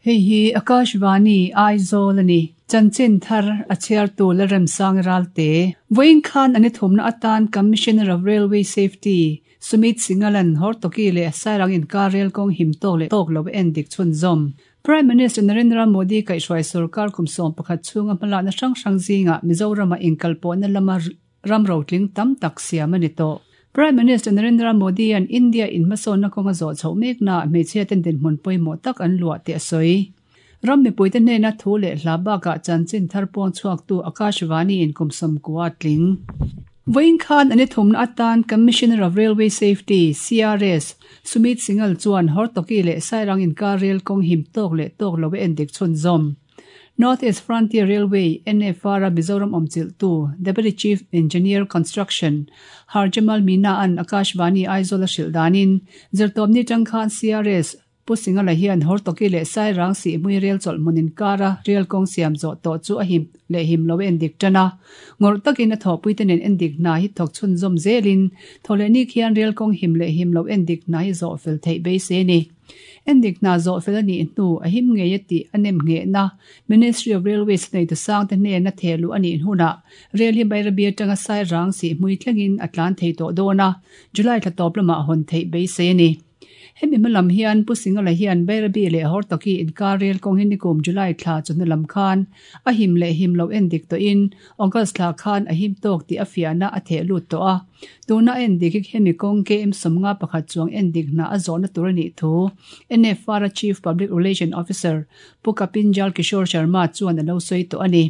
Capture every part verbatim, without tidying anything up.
Hei hi Akashvani Aizawl ani. Chanchin thar a chhiar tu Lalremsang Ralte. Vawiin khan ani thumna atan Commissioner of Railway Safety Sumit Singhal-a'n Hortoki leh Sairang inkar rel kawng him tawk leh tawk lo en dik chhunzawm. Prime Minister Narendra Modi kaihhruai sorkar kum sawm pakhat chhunga hmalakna hrang hrang zingah Mizorama inkalpawhna lama ram rotling tam tak siam a ni tawh. Prime Minister Narendra Modi-a'n India in hmasawnna kawnga zawh chhoh mekna hmeichhia ten dinhmun pawimawh tak an luah tih a sawi. Ram mipuite hnena thu leh hla bakah chanchin thar puang chhuaktu Akashvani in kum sawmkua a tling. Vawiin khan an i thumna atan Commissioner of Railway Safety, C R S, Sumit Singhal chuan Hortoki leh Sairang inkar rel kawng him tawk leh tawk lo a endik chhunzawm. North East Frontier Railway, N F R, a Mizoram awmchilhtu Deputy Chief Engineer Construction Harjamal Meena-a'n Akashvani Aizawl a hrilh danin zirtawpni tang khan C R S Pu Singhal-a hian Hortoki leh Sairang Sihhmui rel chawlh hmun inkara rel kawng siam zawh tawh chu a him leh him lo a endik tan a. Ngawrh takin a thawhpuite nen endik hna hi thawk chhunzawm zelin thawhlehni khian rel kawng him leh him lo endik hna hi zawh fel theih beisei a ni. Endik hna zawh fel a nih hnu a him ngei a tih a nem nghehna Ministry of Railways nei tusang te hnena thehluh a nih hunah rel hi Bairabi atanga Sairang Sihhmui thlengin a tlan thei tawh dawn a, July thla tawp lamah hawn theih beisei a ni. Hemi hmalam hian Pu Singhal-a hian Bairabi leh Hortoki inkar rel kawng hi nikum July thla chawhnu lam khan a him leh him lo endik tawhin August thla khan a him tawk tih a fiahna a theh lut tawh a. Tuna a endik hi hemi kawng K M sawmnga pakhat chuang endik hna a zawhna tur a nih thu N F R a Chief Public Relation Officer Pu Kapinjal Kishore Sharma chuan a lo sawi tawh a ni.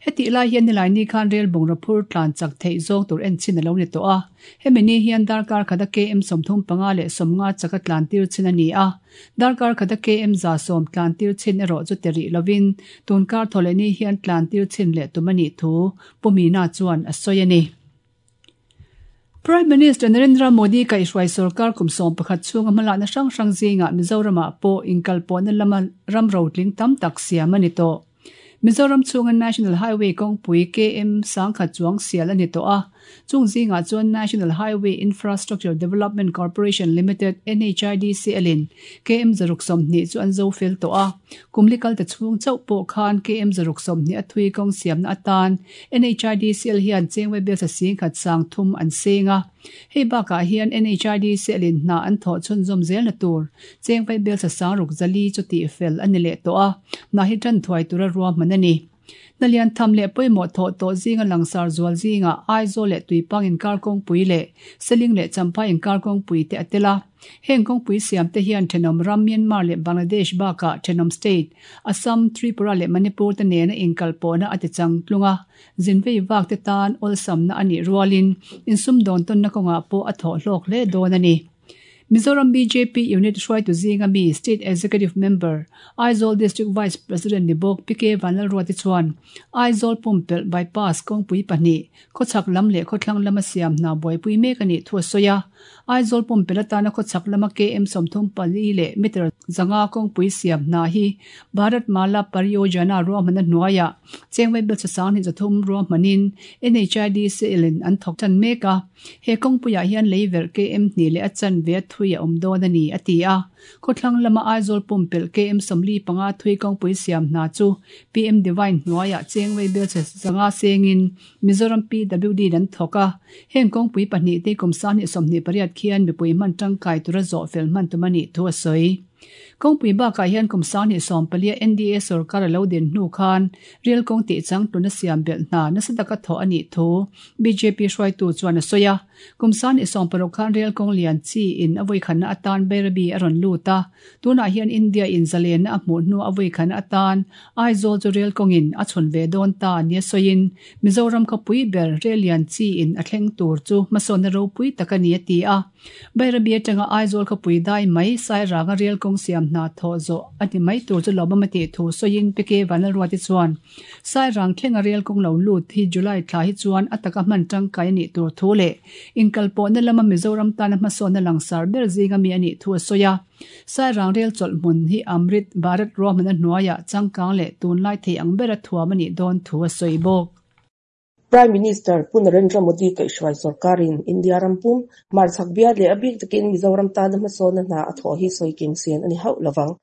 Hetih lai hian nilaini khan rel bungraw phur tlan chak theih zawng tur en chin a lo ni tawh a. Hemi ni hian darkar khata K M sawmthum panga leh sawmnga chaka tlan tir chin a ni a. Darkar khata K M za sawm tlan tir chin erawh chu ti rih lovin tunkar thawhlehni hian tlan tir chin leh tum a nih thu Pu Meena chuan a sawi a ni. Prime Minister Narendra Modi kaihhruai sorkar kum sawm pakhat chhunga hmalakna hrang hrang zingah Mizoramah pawh inkalpawhna lama ram rotling tam tak siam a ni tawh. Mizoram chhunga National Highway kawngpui K M sangkhat chuang sial a ni tawh a. Chung zingah chuan National Highway Infrastructure Development Corporation Limited N H I D C L in K M zaruk sawmhnih chu an zo fel tawh a. Kumlikal te chhung chauh pawh khan K M zaruk sawmhnih a thui kawng siamna atan N H I D C L hian chengwei bel sing khat sang thum an seng a. Hei bakah hian N H I D C L in hna an thawh chhunzawm zel na tur chengwei bel sang ruk zali chu tih fel a ni leh tawh a. Na hi tan thuai tura ruahman a ni. Nalian tham leh pawimawh thawh tawh zinga langsar zual zinga Aizawl leh Tuipang inkar kawngpui leh Seling leh Champhai inkar kawngpui te a tel a. Heng kawngpui siam te hian thenawm ram Myanmar leh Bangladesh bakah thenawm state Assam, Tripura leh Manipur te nena inkalpawhna a ti chang tlunga. Zinvei vak te tan awlsamna a nih rualin insum dawn tawnna kawngah pawh a thawh hlawk hle dawn a ni. Mizoram B J P Unit hruaitu zinga mi State Executive Member Aizawl District Vice President ni bawk P K Vanlalruati chuan Aizawl Pumpelh Bypass kawngpui pahnih khawchhak lam leh khawthlang lama siam hna buaipui mek a nih thu a sawi a. Aizawl Pumpelh atana khawchhak lama K M sawmthum pali leh meter zanga kawngpui siam hna hi Bharat Mala Pariyojana ruahmanna hnuaiah chengwei bel sang hnih zathum ruahmanin N H I D C L in an thawk tan mek a. He kawngpuiah hian leiverh K M hnih leh a chanve a thui a awm dawn a ni a ti a. Khawthlang lama Aizawl Pumpelh K M sawmli panga thui kawngpui siam hna chu P M Divine hnuaiah chengwei bel zanga sengin Mizoram P W D an thawk a. Heng kawngpui pahnih te kum sang hnih sawmhnih pariat khian mipui hman tangkai tura zawh fel hman tum a nih thu a sawi. Kawngpui bakah hian kum sang hnih sawm palia N D A sorkar a lo din hnu khan rel kawng tih chang tuna siam belh hna nasa taka thawh a nih thu B J P hruaitu chuan a sawi a. Kum sang hnih sawm paruk khan rel kawng lian chi in a vawi khatna atan Bairabi a rawn lut a. Tunah hian India in zalenna a hmuh hnu a vawi khatna atan Aizawl chu rel kawngin a chhun ve dawn ta nia sawiin Mizoram khawpui ber rel lian chi in a thleng tur chu hmasawnna ropui tak a ni a ti a. Bairabi atanga Aizawl khawpui dai mai Sairanga rel kawng siam hna thawh zawh a ni mai tur chu lawmawm a tih thu sawiin P K Vanlalruati chuan Sairang thlenga rel kawng lo lut hi July thla hi chuan a taka hman tangkai a nih tur thu leh inkalpawhna lama Mizoram tana hmasawnna langsar ber zinga mi a nih thu a sawi a. Sairang rel chawlh hmun hi Amrit Bharat ruahmanna hnuaiah changkang leh tunlai thei ang bera thuam a nih dawn thu a sawi bawk. Prime Minister Pu Narendra Modi kaihhruai sorkarin India rampum hmarchhak bial leh a bik takin Mizoram tana hmasawnna hna a thawh hi sawi kim sen a ni hauh lovang.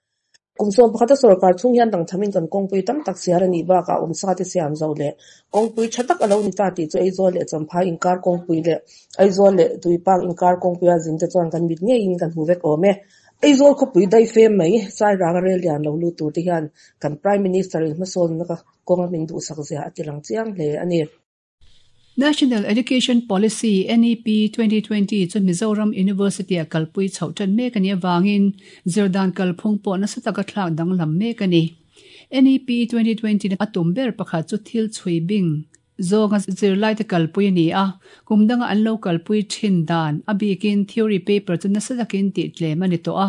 Kum sawm pakhat a sorkar chhung hian dangthamin kan kawngpui tam tak sial a nih bakah awmsa te siam zo leh kawngpui tha tak a lo ni ta tih chu Aizawl leh Champhai inkar kawngpui leh Aizawl leh Tuipak inkar kawngpuia zin te chuan kan mit ngeiin kan hmu vek awm e. Aizawl khawpui daifem mai Sairang a rel lian lo lut tur te hian kan Prime Minister in hmasawnna kawnga min duhsak zia a ti lang chiang hle a ni. National Education Policy N E P twenty twenty chu Mizoram University a kalpui chhoh tan mek a nih avangin zirdan kalphung pawh nasa taka thlak danglam mek a ni. N E P twenty twenty a tum ber pakhat chu thil chhui bing zawnga zirlai te kalpui a ni a, kum danga an lo kalpui thin dan a bikin theory paper chu nasa takin tih tlem a ni tawh a,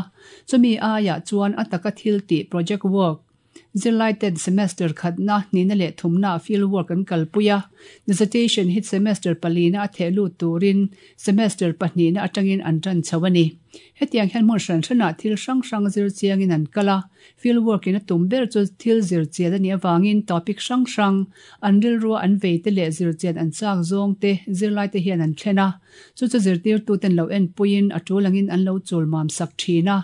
chumi aiah chuan a taka thil tih project work zirlai ten semester khatna nihna leh thumna field work an kalpui a, dissertation hi semester palina a theh lut turin semester pahnihna atangin an tan chho a ni. Hetiang hian hmun hran hranah thil hrang hrang zir chiangin an kal a, field work in a tum ber chu thil zir chian a nih avangin topic hrang hrang an rilrua an vei te leh zir chian an chak zawng te zirlai te hian an thlen a, chu chu zirtirtu ten lo en puiin a tul angin an lo chul mam sak thin a,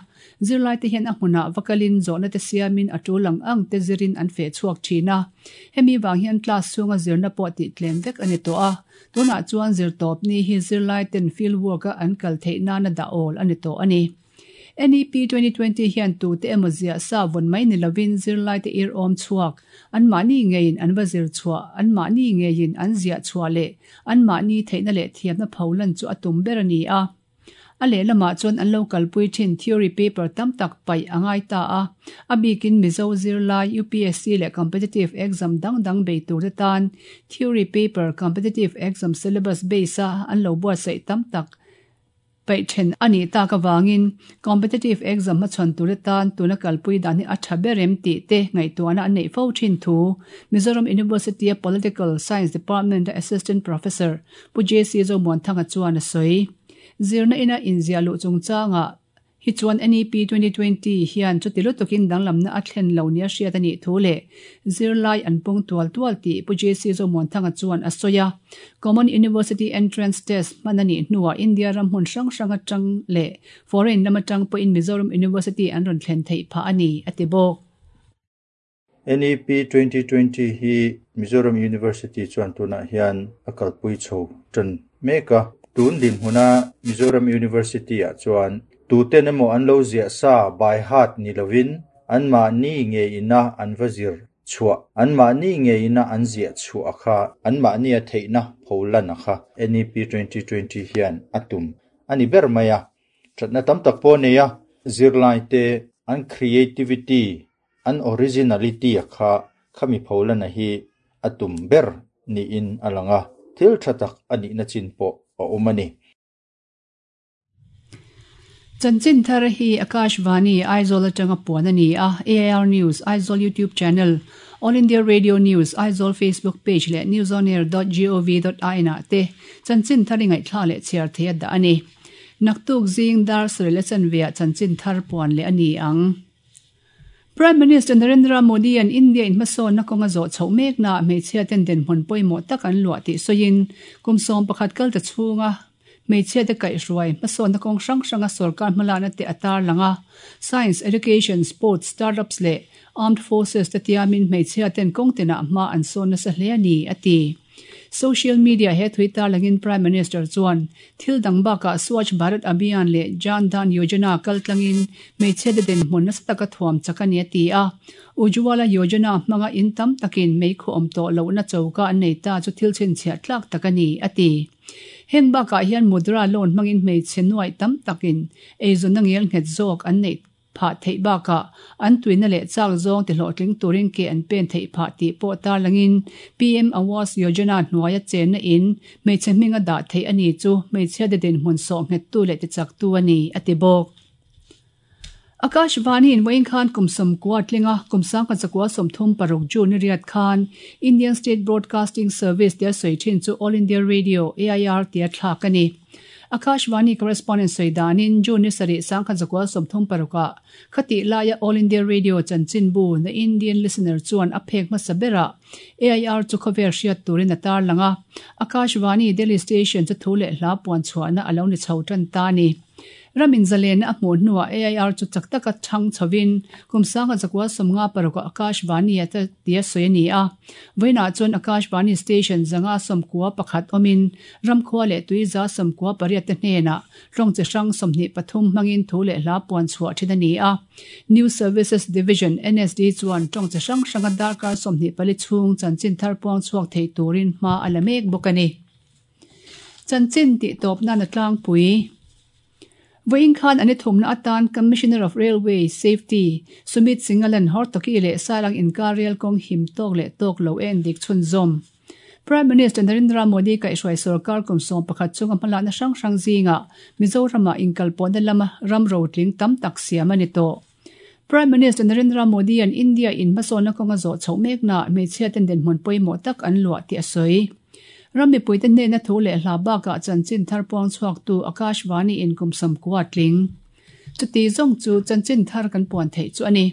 zirlai te hian a hmunah vakalin zawhna te siamin a tul ang ang te zirin an feh chhuak thin a, hemi wang hian class chhunga zirna pawh tih tlem vek a ni tawh a, tunah chuan zir tawp ni hi zirlai ten field work a an kal theih nana dah awl a ni tawh a ni. N E P twenty twenty hian tu te emaw ziah sa vawn mai ni lovin zirlai te ir awm chhuak an mahni ngeiin an va zir chhuah an mahni ngeiin an ziah chhuah leh an mahni theihna leh thiamna pholan chu a tum ber a ni a. A lehlamah chuan an lo kalpui thin theory paper tam tak paih a ngai ta a, a bikin Mizo zirlai U P S C leh competitive exam dang dang bei tur te tan theory paper competitive exam syllabus base a an lo buatsaih tam tak paih then a nih tak awangin competitive exam hmachhawn tur te tan tuna kalpui dan hi a tha berem tih te ngaihtuahna an neih fo thin thu Mizoram University a Political Science Department Assistant Professor Pu J C Zomuanthanga chuan a sawi. Zirna ina inzia luh chungchanga hi chuan N E P twenty twenty hian chuti lutukin danglamna a thlen lo nia hriat a nih thu leh zirlai an pung tual tual tih Pu J C Zomuanthanga chuan a sawi a. Common University Entrance Test hman a nih hnuah India ram hmun hrang hrang atang leh foreign lam atang pawhin Mizoram University an rawn thlen theih phah a ni a ti bawk. N E P twenty twenty hi Mizoram University chuan tunah hian a kalpui chho tan mek a. Tun din hmuna Mizoram University ah chuan tuten emaw an lo ziah sa by heart ni lovin an mahni nge ina an va zir chhuah an mahni nge ina an ziah chhuah kha an mahni a theihna pholan a kha N E P twenty twenty hian a tum ani ber mai a thatna tam tak pawh nei a zirlai te an creativity an originality a kha khami pholan a hi a tum ber ni in alanga thil tha tak ani na chin pawh a awm a ni. Chanchin thar hi Akashvani Aizawl atanga puan a ni a, A I R News Aizawl YouTube channel, All India Radio News Aizawl Facebook page leh newsonair dot gov dot in ah te chanchin thar i ngaihthla leh chhiar thei a dah a ni. Naktuk zing dar sarih leh chanveah chanchin thar puan leh a ni ang. Prime Minister Narendra Modi an India in hmasawnna kawnga zawh chhoh mekna hmeichhia ten dinhmun pawimawh tak an luah tih sawiin kum sawm pakhat kal ta chhunga hmeichhia te kaihhruai hmasawnna kawng hrang hranga sorkar hmalakna te a tar lang a, science, education, sports, startups leh armed forces te tiamin hmeichhia ten kawng tinah hma an sawn nasa hle a ni a ti. Social media he thui tar langin Prime Minister chuan thil dang bakah Swachh Bharat Abhiyan leh Jan Dhan Yojana kal tlangin hmeichhia te dinhmun nasa taka thuam chak a ni a ti a. Ujjwala Yojana hmanga in tam takin meikhu awm tawh lohna choka an nei ta chu thil chhinchhiah tlak tak a ni a ti. Heng bakah hian mudra loan hmangin hmeichhe nuai tam takin eizawnna ngel nghet zawk an neih phah theih bakah an tuina leh chak zawng ti hlawhtling turin ke an pen theih phah tih pawh tar langin P M Awas Yojana hnuaia chenna in hmeichhe hminga dah theih a ni chu hmeichhia te dinhmun sawh nghet tu leh ti chak tu a ni a ti bawk. Akashvani in vawiin khan kum sawmkua tlinga kum sangkhat zakua sawmthum paruk June ni riat khan Indian State Broadcasting Service tia sawi thin chu All India Radio A I R tia thlak a ni. Akashvani correspondent sawidanin June ni sarih sangkhat zakua sawmthum paruka khati laia All India Radio chanchin bu The Indian Listener chuan a phek hmasa bera A I R chu khawvel hriat turin a tar langa Akashvani Delhi Station chu thu leh hla puan chhuahna a lo ni chho tan ta ni. Ramin zalen a hmu hnuah A I R chu chak taka thang chhovin kum sanga zakua sawmnga paruk Akashvani ata tia sawi a ni a. Vawiinah chuan Akashvani station zanga sawmkua pakhat awmin ramkhua leh tui za sawmkua pariat te hnenah tawng chi hrang sawmhnih pathum hmangin thu leh hla puan chhuah thin a ni a. New Services Division N S D chuan tawng chi hrang hranga darkar sawmhnih pali chhung chanchin thar puang chhuak thei turin hma a la mek bawk a ni. Chanchin tih tawp nan a tlangpui. Vawiin khan ani thumna atan Commissioner of Railway Safety Sumit Singalan Hortoki leh Sairang inkar rail kawng him tawk leh tawk lo en dik chhunzawm. Prime Minister Narendra Modi kaihhruai sarkar kum sawm pakhat chunga hmalakna hrang hrang zingah Mizorama inkalpawhna lama ram rotling tam tak siam a ni tawh. Prime Minister Narendra Modi an India in hmasawnna kawnga zawh chhoh mekna hmeichhia ten dinhmun pawimawh tak an luah tih a sawi. Rammi puite hnena thu leh hla bakah chanchin thar puang chhuak tu Akashvani in kum sawmkua tling. Chuti zawng chu chanchin thar kan puan theih chu a ni.